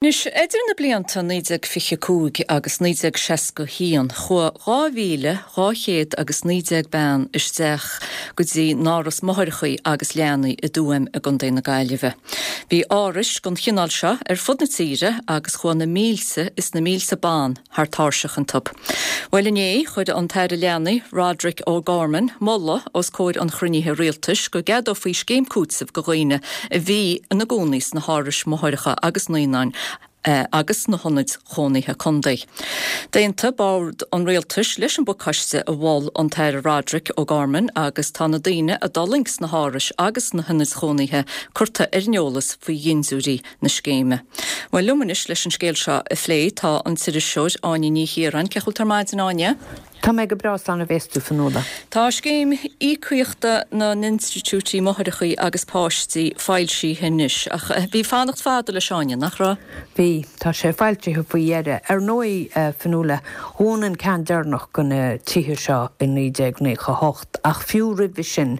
Anois, idir na blianta 1925 agus 1961, chuaigh 2,200 agus 19 bean isteach go dtí n-áras máithreacha agus leanaí i dTuaim i gContae na Gaillimhe. Bhí árais den chineál seo ar fud na tíre agus chuaigh na mílte is na mílte ban thar tairseach iontu. Bhuel inné, chuir an tAire Leanaí, Roderic O'Gorman, moladh os comhair an chruinnithe rialtais go gceadófaí scéim cúitimh go dhaoine a bhí ina gcónaí sna hárais máithreacha agus naíonáin agus sna hionaid chónaithe contae. D'aontaigh Bord an Rialtais leis an bpacáiste a mhol an tAire Roderic O'Gorman agus tá na daoine a d'fhulaing sna hárais agus sna hionaid chónaithe curtha ar an eolas faoi dhintiúirí na scéime. Bhuel, liom anois leis an scéal seo a phlé tá an t-iriseoir Áine Ní Chiaráin. Cén chaoi a bhfuil tú ar maidin, Áine? Tá mé go breá, slán a bhéas tú, Fionnuala. Tá scéim íocaíochta na n-institiúidí máithreacha agus páistí foilsithe anois, ach bhí fanacht fada leis, Áine, nach raibh? Bhí. Tá sé foilsithe faoi dheireadh. Ar ndóigh, Fionnuala, dhún an ceann deireanach de na tithe seo i 1998. Ach fiú roimhe sin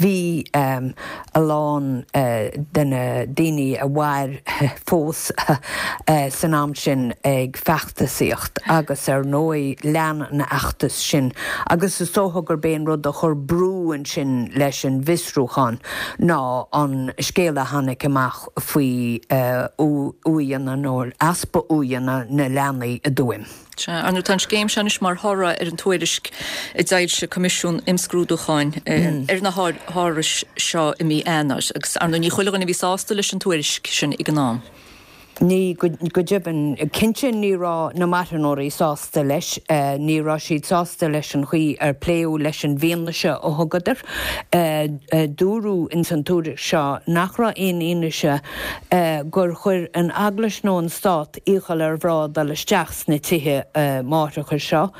bhí a lán de na daoine a mhair fós san am sin ag feachtasaíocht agus ar ndóigh lean an fheachtas sin agus is dócha gurb é an rud a chuir brú ansin leis an bhfiosrúchán ná an scéal a tháinig amach faoi uaigheanna nó easpa uaigheanna na leanaí i dTuaim. Sea, ar ndóigh tá an scéim seo anois mar thoradh ar an tuairisc a d'fhoilsigh Coimisiún Imscrúdúcháin ar na hárais seo i mí Eanáir agus ar ndóigh ní chuile dhuine a bhí sásta leis an tuairisc sin ag an am. Ní, go deimhin. Cinnte ní raibh na marthanóirí sásta leis. Ní raibh siad sásta leis an chaoi ar pléadh leis an bhfianaise a thugadar. Dúradh ins an tuairisc seo nach raibh aon fhianaise gur chuir an Eaglais nó an Stát iachall ar mhná dul isteach sna tithe máithreacha seo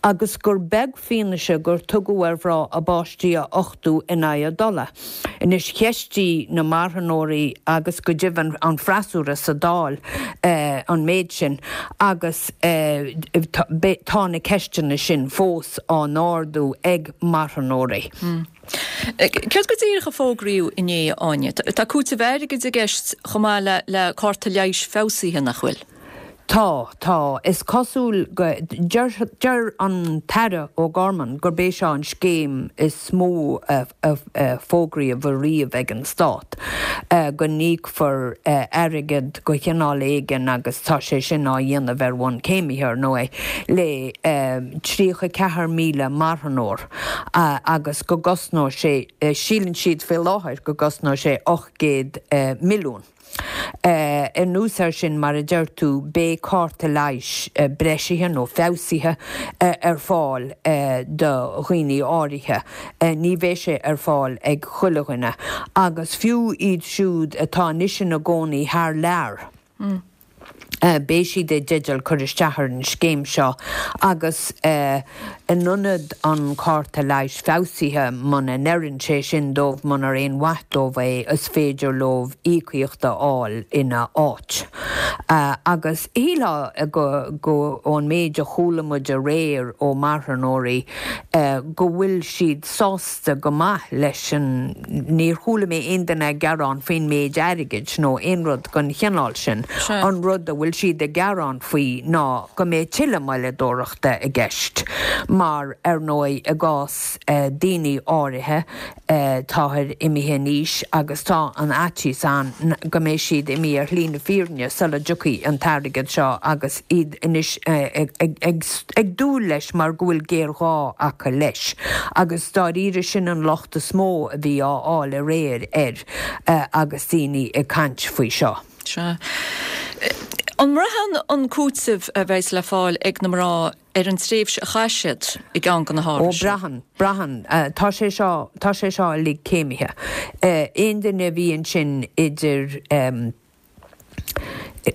agus gur beag fianaise gur tugadh ar mhná a bpáistí a uchtú in aghaidh a dtola. Anois, cheistigh na marthanóirí agus go deimhin an freasúra sa Dáil an méid sin agus tá na ceisteanna sin fós á n-ardú ag marthanóirí. Céard go díreach a fógraíodh inné, a Áine? Tá cúiteamh airgid i gceist chomh maith le cárta leighis feabhsaithe, nach bhfuil? Tá, tá. Is cosúil go, deir, deir an tAire O'Gorman gurb é seo an scéim is mó a fógraíodh ariamh ag an Stát, go n-íocfar airgead de chineál éigin agus tá sé sin á dhéanamh ar bhonn céimithe, ar ndóigh, le 34,000 marthanóir. agus go gcosnóidh sé, síleann siad faoi láthair go gcosnóidh sé 800 milliún. Anuas air sin, mar a deir tú, beidh cárta leighis breisithe nó feabhsaithe ar fáil do dhaoine áirithe. Ní bheidh sé ar fáil ag chuile dhuine agus fiú iad siúd atá anois ina gcónaí thar lear, beidh siad i dteideal cur isteach ar an scéim seo agus in ionad an cárta leighis feabhsaithe, muna n-oireann sé sin dóibh, munar aon mhaith dóibh é, is féidir leo íocaíocht a fháil ina áit. Agus shílfeá go, go, ón méid a chuala muid aréir ó marthanóirí, go bhfuil siad sásta, go maith leis an, níor chuala mé aon duine ag gearán faoin méid airgid nó aon rud den chineál sin. An rud a bhfuil siad ag gearán faoi ná go mbeidh tuilleadh moilleadóireachta i gceist mar, ar ndóigh, i gcás daoine áirithe, táthar imithe in aois agus tá an fhaitíos ann go mbeidh siad imithe ar shlí na fírinne sula dtiocfaidh an t-airgead seo agus iad anois ag dúil leis mar go bhfuil géarghá acu leis. Agus dáiríre sin an locht is mó a bhí á fháil aréir air agus daoine ag caint faoi seo. Sea. An mbraitheann an cúiteamh a bheas le fáil ag na mná ar an tréimhse a chaith siad i gceann de na hárais Ó, braitheann, braitheann. Tá sé seo, tá sé seo uilig céimithe. Aon duine a bhí ansin idir,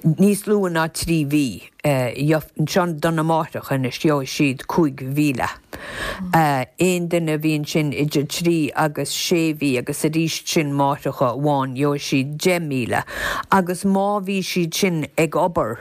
níos lú ná 3 mhí, seo do na máithreacha anois, gheobhaidh siad 5,000. Aon duine a bhí ansin idir trí agus sé mhí agus arís sin máithreacha amháin, gheobhaidh siad 10,000. Agus má bhí siad sin ag obair,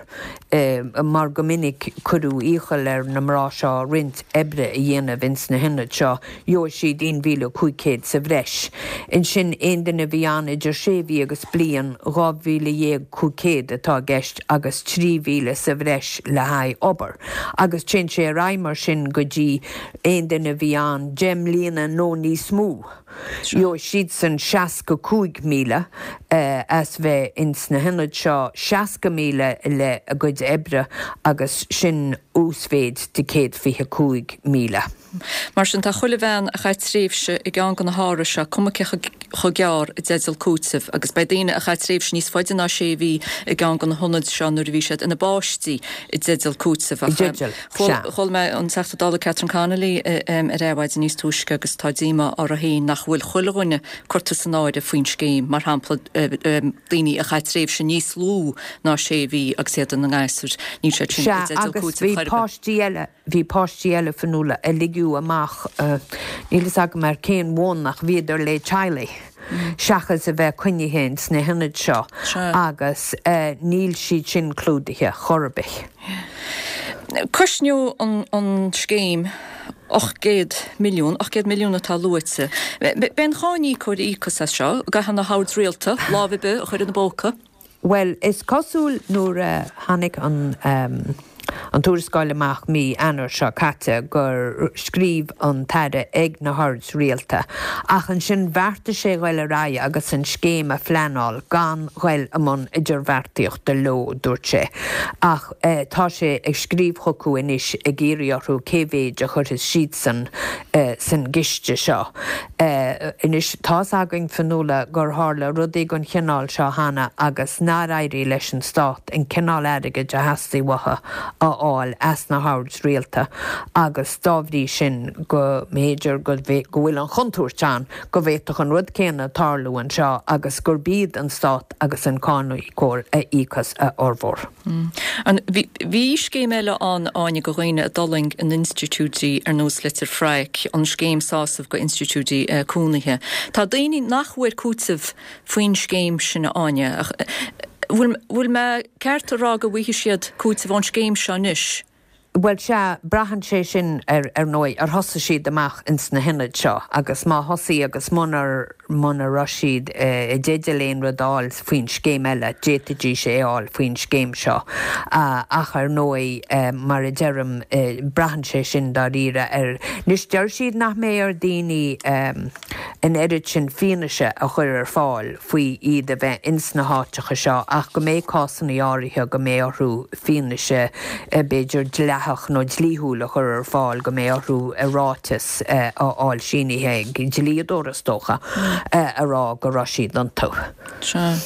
mar go minic cuireadh iachall ar na mná seo roinnt oibre a dhéanamh ins na hionaid seo, gheobhaidh siad 1,500 sa bhreis. Ansin aon duine a bhí ann idir sé mhí agus bliain, 12,500 atá i gceist agus 3,000 sa bhreis le haghaidh obair. Agus téann sé ar aghaidh mar sin go dtí aon duine a bhí ann 10 mbliana nó níos mó. Gheobhaidh siadsan 65,000 as bheith ins na hionaid seo, 60,000 le a gcuid oibre agus sin uasmhéid de 125,000. Mar sin, tá chuile bhean a chaith tréimhse i gceann de na hárais seo, cuma cé chomh gearr, i dteideal cúitimh, agus beidh daoine a chaith tréimhse níos faide ná sé mhí i gceann de na hionaid seo nuair a bhí siad ina bpáistí i dteideal cúitimh. I dteideal, sea. Chuala mé an Teachta Dála Catherine Connolly ar Adhmhaidin níos túisce agus tá díomá uirthi féin nach bhfuil chuile dhuine curtha san áireamh faoin scéim, mar shampla daoine a chaith tréimhse níos lú ná sé mhí agus iad ina ngasúir, níl siad sin i Sea, dteideal agus cúitimh bhí chor ar bith. páistí eile. Bhí páistí eile, Fionnuala, a ligeadh amach, níl fhios agam ar cén bhonn ach bhíodar le teaghlaigh seachas a bheith coinnithe ins na hionaid seo agus níl siad sin clúdaithe chor ar bith. Cosnóidh an scéim 800 milliún, 800 milliún atá luaite. Beidh an cáiníocóir a íocfas as seo, an gcaithfidh na hoird rialta lámh ar bith a chur ina bpóca. Bhuel, is cosúil nuair a tháinig an an tuarascáil amach mí Eanáir seo caite gur scríobh an tAire ag na hoird rialta ach ansin bheartaigh sé ghoil ar aghaidh agus an scéim a phleanáil gan ghoil i mbun idirbheartaíochta leo, dúirt sé. Ach tá sé ag scríobh chucu anois ag iarraidh orthu cé mhéid a chuirfeas siadsan san gciste seo. Anois, tá's againn, Fionnuala, gur tharla rudaí den chineál seo cheana agus nár éirigh leis an Stát an cineál airgid a theastaigh uathu a fháil as na hoird rialta agus dá bhrí sin go mb'fhéidir go bhfuil an chontúirt ann go bhféadfadh an rud céanna tarlú anseo agus gurb iad an Stát agus an cáiníocóir a íocfas a fhormhór. Bhí scéim eile ann, Áine, do dhaoine a d'fhulaing in institiúidí ar nós Leitir Fraic, an scéim sásamh go institiúidí cónaithe. Tá daoine nach bhfuair cúiteamh faoin scéim sin, a Áine. Bhfuil mé ceart a rá go bhfaighidh siad cúiteamh ón scéim seo anois? Bhuel, sea, braitheann sé sin ar, ar ndóigh, ar thosaigh siad amach ins na hionaid seo agus má thosaigh agus munar, muna raibh siad i dteideal aon rud a fháil faoin scéim eile, d'fhéadfaidís é a fháil faoin scéim seo. Ach ar ndóigh, mar a deirim, braitheann sé sin dáiríre ar, anois deir siad nach mbeidh ar daoine an oiread sin fianaise a chur ar fáil faoi iad a bheith ins na háiteacha seo ach go mbeidh cásanna áirithe go mbeidh orthu fianaise b'fhéidir dleathach nó dlíthiúil a chur ar fáil, go mbeidh orthu ráiteas a fháil sínithe ag dlíodóir is dócha, a rá go raibh siad iontu. Sea.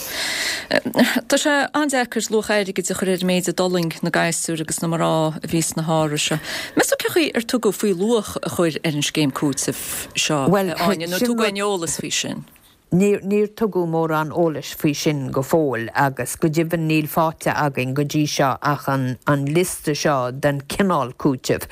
Tá sé an-deacair luach airgid a chur ar an méid a d'fhulaing na gasúir agus na mná a bhí sna hárais seo. Meas tú cén chaoi ar tugadh faoi luach a chur ar an scéim cúitimh seo, Bhuel, a Áine, nó sin tugadh rud. aon eolas faoi sin? Níor, níor tugadh mórán eolais faoi sin go fóill agus go deimhin níl faighte againn go dtí seo ach an, an liosta seo den chineál cúitimh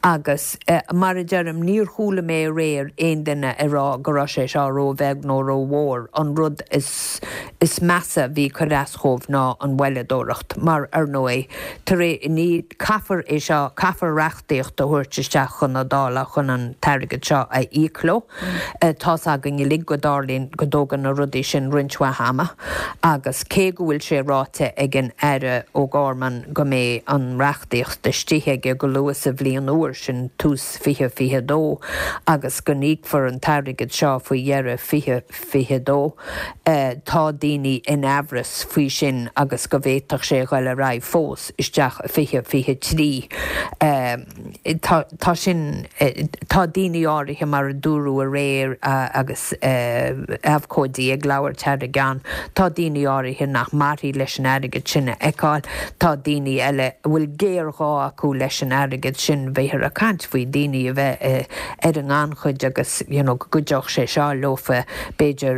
agus mar a deirim níor chuala mé aréir aon duine ag rá go raibh sé seo róbheag nó rómhór. An rud is, is measa a bhí ag cur as dhóibh ná an mhoilleadóireacht mar ar ndóigh tar é, ní, caithfear é seo, caithfear reachtaíocht a thabhairt isteach chun na Dála chun an t-airgead seo a íoc leo. Tá's againn uilig go dtarlaíonn, go dtógann na rudaí sin roinnt mhaith ama agus cé go bhfuil sé ráite ag an Aire O'Gorman go mbeidh an reachtaíocht istigh aige go luath sa bhliain úr, sin tús 2022, agus go n-íocfar an t-airgead seo faoi dheireadh 2022, tá daoine in aimhreas faoi sin agus go bhféadfadh sé a ghoil ar aghaidh fós isteach i 2023. Tá, tá sin, tá daoine áirithe, mar a dúradh aréir agus abhcóidí ag labhairt thar a gceann, tá daoine áirithe nach mairfidh leis an airgead sin a fheiceáil, tá daoine eile a bhfuil géarghá acu leis an airgead sin, bhíothar ag caint faoi daoine a bheith ar an ngannchuid agus you know go gcuideodh sé seo leofa b'fhéidir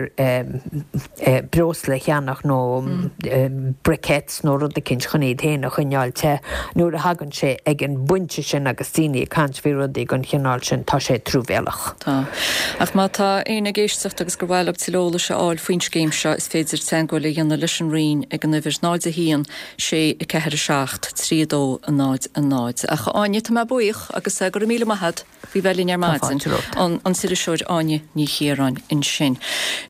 breosla a cheannach nó briquettes nó rud eicínt chun iad féin a choinneáil te nuair a thagann sé ag an bpointe. ráite sin agus daoine ag caint faoi rudaí den chineál sin, tá sé truamhéalach. Tá. Ach má tá éinne ag éisteacht agus gur mhaith leo tuilleadh eolais a fháil faoin scéim seo, is féidir teagmháil a dhéanamh leis an Roinn ag an uimhir 0 1 6 4 7 3 2 0 0. Ach a Áine, tá mé buíoch agus go raibh míle maith agat faoi bheith linn ar maidin. An t-iriseoir Áine Ní Chiaráin ansin.